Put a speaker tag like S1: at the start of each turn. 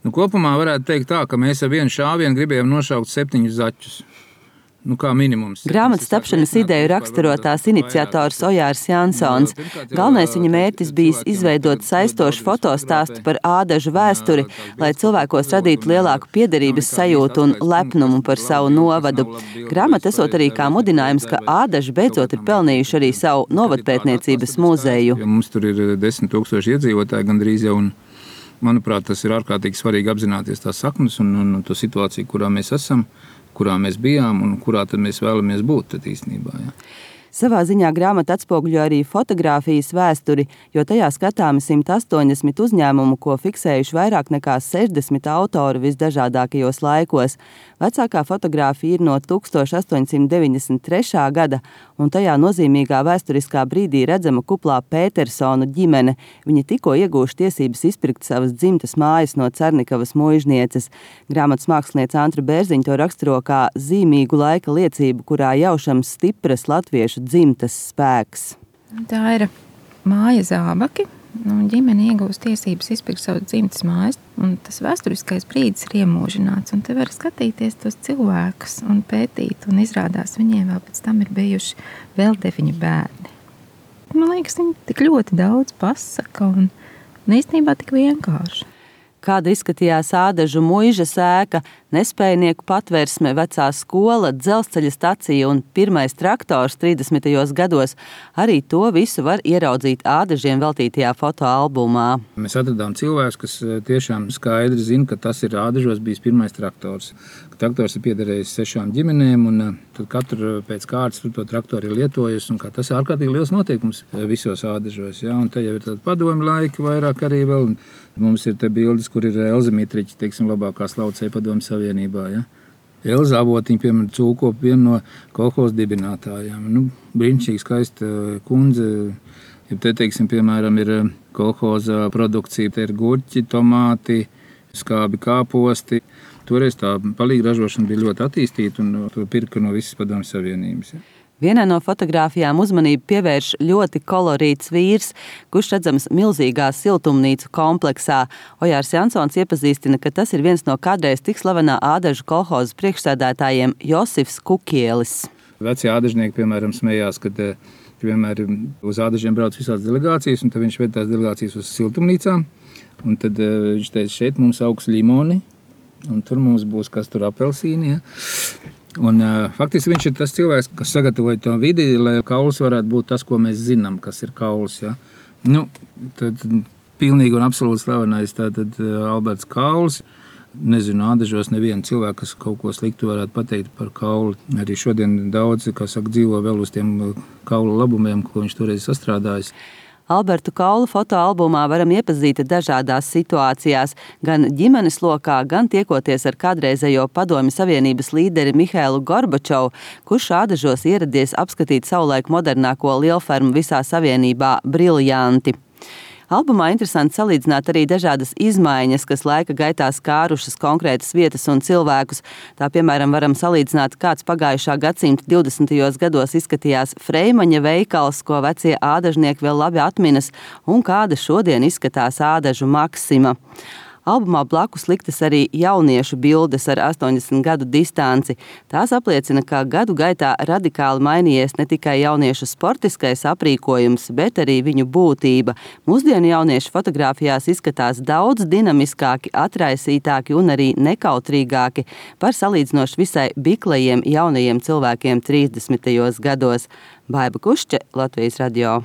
S1: Kopumā varētu teikt tā, ka mēs ar vienu šāvienu gribējām nošaukt 7 zaķus. Kā minimums.
S2: Grāmatas tapšanas ideju raksturo tās iniciators Ojārs Jansons. Galvenais viņa mērķis bijis izveidot saistošu fotostāstu par ādažu vēsturi, lai cilvēkos radītu lielāku piederības sajūtu un lepnumu par savu novadu. Grāmata esot arī kā mudinājums, ka ādaži beidzot ir pelnījuši arī savu novadpētniecības muzeju.
S1: Mums tur ir 10 000 iedzīvotāji gandrīz jau, un manuprāt, tas ir ārkārtīgi svarīgi apzināties tās saknes un to situāciju, kurā mēs esam, kurā mēs bijām un kurā tad mēs vēlamies būt tad īstenībā. Ja.
S2: Savā ziņā grāmata atspoguļo arī fotogrāfijas vēsturi, jo tajā skatāmi 180 uzņēmumu, ko fiksējuši vairāk nekā 60 autori visdažādākajos laikos. Vecākā fotogrāfija ir no 1893. gada, un tajā nozīmīgā vēsturiskā brīdī redzama kuplā Pētersonu ģimene. Viņi tikko iegūši tiesības izpirkt savas dzimtas mājas no Cernikavas muižnieces. Grāmatas mākslinieca Antra Bērziņa to raksturo kā zīmīgu laika liecību, kurā jaušams stipras latviešu dzimtas spēks.
S3: Tā ir māja Zābaki. Ģimene iegūst tiesības izpirkt savu dzimtas mājas, un tas vēsturiskais brīdis ir iemūžināts. Un te var skatīties tos cilvēkus un pētīt, un izrādās viņiem vēl pēc tam ir bijuši vēl 9 bērni. Man liekas, viņi tik ļoti daudz pasaka un īstenībā tik vienkārši.
S2: Kāda izskatījās ādažu muižas ēka, nespējnieku patversme, vecā skola, dzelzceļa stacija un pirmais traktors 30. gados. Arī to visu var ieraudzīt ādažiem veltītajā fotoalbumā.
S1: Mēs atradām cilvēkus, kas tiešām skaidri zina, ka tas ir ādažos bijis pirmais traktors. Traktors ir piederējis 6 ģimenēm, un tad katru pēc kārtas to traktoru ir lietojusi, un tas ir ārkārtīgi liels noteikums visos ādažos. Ja? Un te jau ir tādi padomi laiki vairāk arī vēl. Mums ir te bildes, kur ir Elza Mitriķa, teiksim, labākā slaucēja Padomju Savienībā. Ja? Elza Avotiņa, piemēram, cūkop vienu no kolhoza dibinātājiem. Brīnišķīgi skaista kundze. Ja te, teiksim, piemēram, ir kolhoza produkcija. Te ir gurķi, tomāti, skābi kāposti. Toreiz tā palīga ražošana bija ļoti attīstīta un to pirka no visas Padomju Savienības. Ja?
S2: Vienā no fotogrāfijām uzmanību pievērš ļoti kolorīts vīrs, kurš redzams milzīgā siltumnīcu kompleksā. Ojārs Jansons iepazīstina, ka tas ir viens no kādreiz tik slavenā ādažu kolhozas priekšsēdētājiem Josifs Kukielis.
S1: Vecie ādažnieki, piemēram, smējās, kad vienmēr uz ādažiem brauc visādas delegācijas, un tad viņš ved tās delegācijas uz siltumnīcām. Un tad viņš teica, šeit mums augs limoni, un tur mums būs kas tur apelsīni. Ja? Un, faktiski viņš ir tas cilvēks, kas sagatavoja to vidi, lai kauls varētu būt tas, ko mēs zinām, kas ir kauls. Ja? Tad pilnīgi un absolūti slavenais tātad Alberts Kauls. Nezinu, ādažos nevienu cilvēku, kas kaut ko sliktu varētu pateikt par kaulu. Arī šodien daudz, dzīvo vēl uz tiem kaulu labumiem, ko viņš toreiz sastrādājis.
S2: Albertu Kaulu fotoalbumā varam iepazīt dažādās situācijās, gan ģimenes lokā, gan tiekoties ar kādreizējo Padomju Savienības līderi Mihailu Gorbačovu, kurš ādažos ieradies apskatīt savulaik modernāko lielfermu visā Savienībā Briljanti. Albumā interesanti salīdzināt arī dažādas izmaiņas, kas laika gaitā skārušas konkrētas vietas un cilvēkus. Tā, piemēram, varam salīdzināt, kāds pagājušā gadsimta 20. gados izskatījās Freimaņa veikals, ko vecie ādažnieki vēl labi atminas, un kāda šodien izskatās ādažu Maksima. Albumā blakus liktas arī jauniešu bildes ar 80 gadu distanci. Tās apliecina, ka gadu gaitā radikāli mainījies ne tikai jauniešu sportiskais aprīkojums, bet arī viņu būtība. Mūsdienu jauniešu fotogrāfijās izskatās daudz dinamiskāki, atraisītāki un arī nekautrīgāki par salīdzinoši visai biklajiem jaunajiem cilvēkiem 30. gados. Baiba Kušķe, Latvijas radio.